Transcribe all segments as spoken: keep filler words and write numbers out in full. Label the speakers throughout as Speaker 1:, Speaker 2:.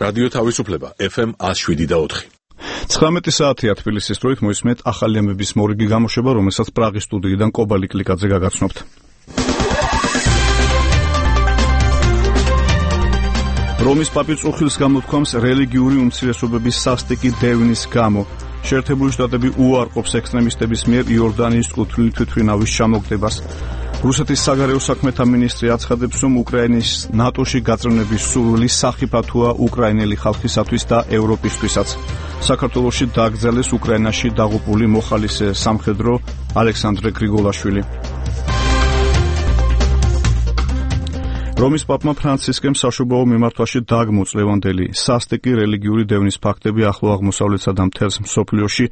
Speaker 1: რადიო თავისუფლება ეფ ემ one oh seven და four.
Speaker 2: ცხრამეტი საათია თბილისის დროით მოისმენთ ახალი ამბების მორიგი გამოშვება, რომელსაც პრაღის სტუდიიდან კობალი კლიკაძე გაგაცნობთ. რომის პაპი წუხილს გამოთქვამს რელიგიური უმცირესობების სასტიკი დევნის გამო. შეერთებული შტატები უარყოფს ექსტრემისტების მიერ იორდანიის კუთვნილი თვითმფრინავის ჩამოგდებას. რუსეთის საგარეო საქმეთა მინისტრი აცხადებს, რომ უკრაინის ნატოში გაწევრების სურვილი სახიფათოა უკრაინელი ხალხისათვის და ევროპისთვისაც. საქართველოში დააგრძელეს უკრაინაში დაღუპული მოხალისე სამხედრო ალექსანდრე გრიგოლაშვილი. რომის პაპმა ფრანცისკემ საშობაო მიმართვაში დაგმოწ ლევანდელი სასტიკი რელიგიური დევნის ფაქტები ახლო აღმოსავლეთსა და მთელს მსოფლიოში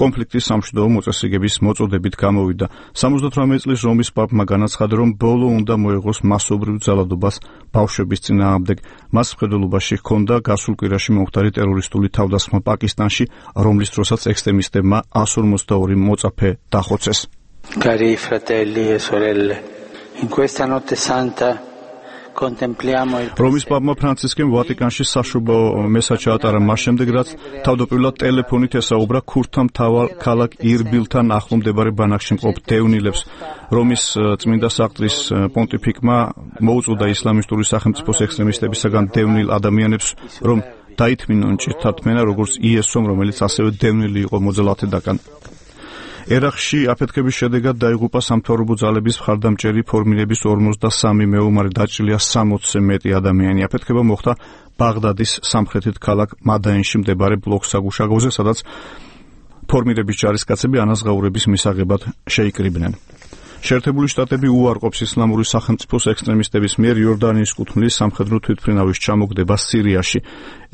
Speaker 2: კონფლიქტის სამშვიდობო მოწესრიგების მოწოდებით გამოვიდა. სამოცდაოთხმეტი წლის რომის პაპმა განაცხადა, რომ ბოლო უნდა მოეღოს მასობრივ ძალადობას ბავშვების წინააღმდეგ. მას მხედველობაში ჰქონდა გასულ კვირაში მომხდარი ტერორისტული თავდასხმა პაკისტანში, რომლის დროსაც ექსტრემისტებმა one forty-two მოწაფე დახოცეს.
Speaker 3: Cari fratelli e sorelle, in questa notte santa
Speaker 2: რომის პაპმა ფრანცისკემ ვატიკანში საშობაო მესა ჩაატარა მას შემდეგ, რაც თავდაპირველად ტელეფონით ესაუბრა ქურთთა მთავარ ქალაქ ირბილთან ახლო მდებარე ბანაკში მყოფ დევნილებს. რომის წმინდა საყდრის პონტიფიკმა მოუწოდა ისლამისტური სახელმწიფოს ექსტრემისტებისაგან დევნილ ადამიანებს, რომ დაითმინონ ჭირთათმენა, როგორც იესომ, რომელიც ასევე დევნილი იყო მოძალათედაგან. ერაყში აფეთქების შედეგად დაიღუპა სამთავრობო ძალების მხარდამჭერი ფორმირების ორმოცდასამი მეომარი, დაჭრილია სამოცზე მეტი ადამიანი. აფეთქება მოხდა ბაღდადის სამხრეთით ქალაქ მადაინში მდებარე ბლოკ-საგუშაგოზე, სადაც ფორმირების ჯარისკაცები ანაზღაურების მისაღებად შეიკრიბნენ. შეერთებული შტატები უარყოფს ისლამური სახელმწიფოს ექსტრემისტების მიერ იორდანიის კუთვნილი სამხედრო თვითმფრინავის ჩამოგდებას სირიაში.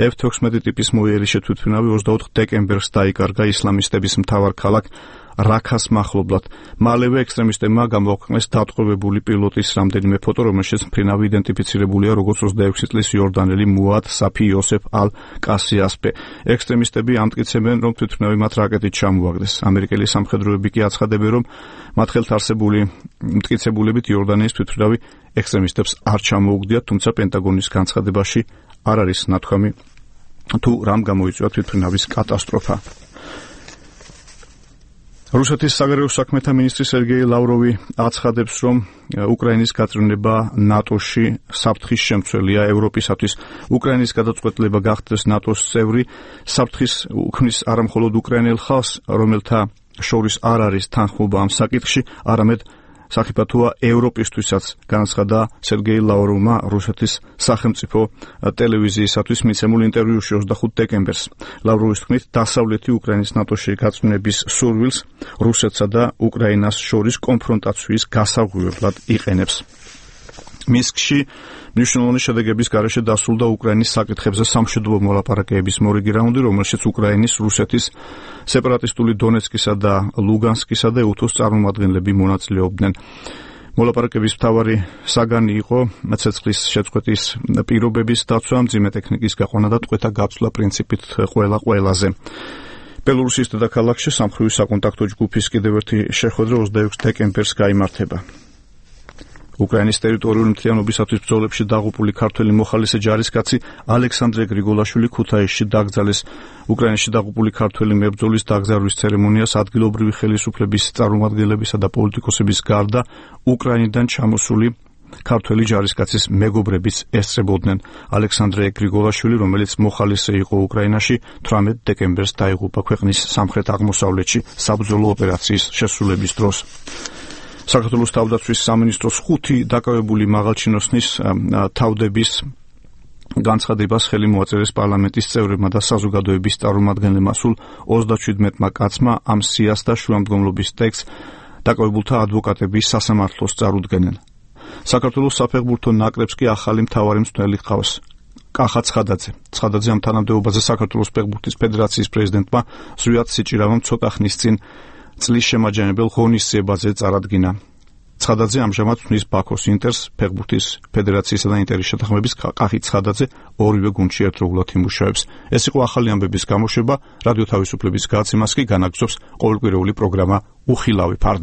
Speaker 2: ეფ seventeen ტიპის მოიერიში თვითმფრინავი ოცდაოთხ დეკემბერს დაიკარგა ისლამისტების მთავარ ქალაქ რაქას მახლობლად. მალევე ექსტრემისტებმა გამოაქვეყნეს დატყვევებული პილოტის რამდენიმე ფოტო, რომელშიც მფრინავი იდენტიფიცირებულია როგორც ოცდაექვსი წლის იორდანელი მუად საფი იოსეფ ალ კასიასპე. ექსტრემისტები ამტკიცებენ, რომ თვითმფრინავი მათ რაკეტით ჩამოაგდეს. ამერიკელი სამხედროები კი აცხადებენ, რომ მათ ხელთ არსებული მტკიცებულებით იორდანიის თვითმფრინავი ექსტრემისტებს არ ჩამოუგდიათ, თუმცა პენტაგონის განცხადებაში არ არის ნათქვამი თუ რამ გამოიწვია თვითმფრინავის კატასტროფა. რუსეთის საგარეო საქმეთა მინისტრი სერგეი ლავროვი აცხადებს, რომ უკრაინის გაწევრება ნატოში საფრთხის შემცველია ევროპისათვის. უკრაინის გადაწყვეტილება გახდეს ნატოს წევრი საფრთხის უქმნის არა მხოლოდ უკრაინელ ხალხს, რომელთა შორის არ არის თანხმობა ამ საკითხში, არამედ სახიფათოა ევროპისთვისაც, განაცხადა სერგეი ლავროვმა რუსეთის სახელმწიფო ტელევიზიისათვის მიცემულ ინტერვიუში ოცდახუთ დეკემბერს. ლავროვის თქმით, დასავლეთი უკრაინის ნატოში გაწევრების სურვილს რუსეთსა და უკრაინას შორის კონფრონტაციის გასაღვივებლად იყენებს. მინსკში მნიშვნელოვანი შედეგების გარეშე დასრულდა უკრაინის საკითხებზე სამშვიდობო მოლაპარაკებების მორიგი რაუნდი, რომელშიც უკრაინის, რუსეთის, სეპარატისტული დონეცკისა და ლუგანსკისა და უთოს წარმომადგენლები მონაწილეობდნენ. მოლაპარაკების მთავარი საგანი იყო ცეცხლის შეწყვეტის პირობების დაცვა, მძიმე ტექნიკის გაყვანა და ტყვეთა გაცვლა პრინციპით ყველა ყველაზე. ბელორუსის დედაქალაქში სამხრივი საკონტაქტო ჯგუფის კიდევ ერთი შეხვედრა ოცდაექვსი დეკემბერს გაიმართება. უკრაინის ტერიტორიული მთლიანობისათვის ბრძოლებში დაღუპული ქართველი მოხალისე ჯარისკაცი ალექსანდრე გრიგოლაშვილი ქუთაისში დაკრძალეს. უკრაინაში დაღუპული ქართველი მებრძოლის დაკრძალვის ცერემონიას ადგილობრივი ხელისუფლების წარმომადგენლებისა და პოლიტიკოსების გარდა უკრაინიდან ჩამოსული ქართველი ჯარისკაცის მეგობრებიც ესწრებოდნენ. ალექსანდრე გრიგოლაშვილი, რომელიც მოხალისე იყო უკრაინაში, თვრამეტ დეკემბერს დაიღუპა ქვეყნის სამხრეთ აღმოსავლეთში საბრძოლო ოპერაციის შესრულების დროს. საქართველოს თავდაცვის სამინისტროს ხუთი დაკავებული მაღალჩინოსნის თავდების განცხადებას ხელი მოაწერეს პარლამენტის წევრებმა და საზოგადოების წარმომადგენლებმა. სულ ოცდაჩვიდმეტმა კაცმა ამ სიას და შუამდგომლობის ტექსტს დაკავებულთა ადვოკატების სასამართლოს წარუდგენენ. საქართველოს საფეხბურთო ნაკრებს კი ახალი მთავარი მწვრთნელი ჰყავს. კახა ცხადაძე. ცხადაძე ამ თანამდებობაზე საქართველოს ფეხბურთის ფედერაციის პრეზიდენტმა ზვიად სიჭირავამ ცოტა ხნის წინ წლის შემაჯამებელ ღონისძიებაზე წარადგინა. ცხადაძე ამჟამად ხმის ბაქოს ინტერს, ფეხბურთის ფედერაციისა და ინტერის შეთანხმების კახი ცხადაძე ორივე გუნდში ერთდროულად იმუშავებს. ეს იყო ახალი ამბების გამოშვება. რადიო თავისუფლების გადაცემას კი განაგრძობს ყოველკვირეული პროგრამა უხილავი ფარდა.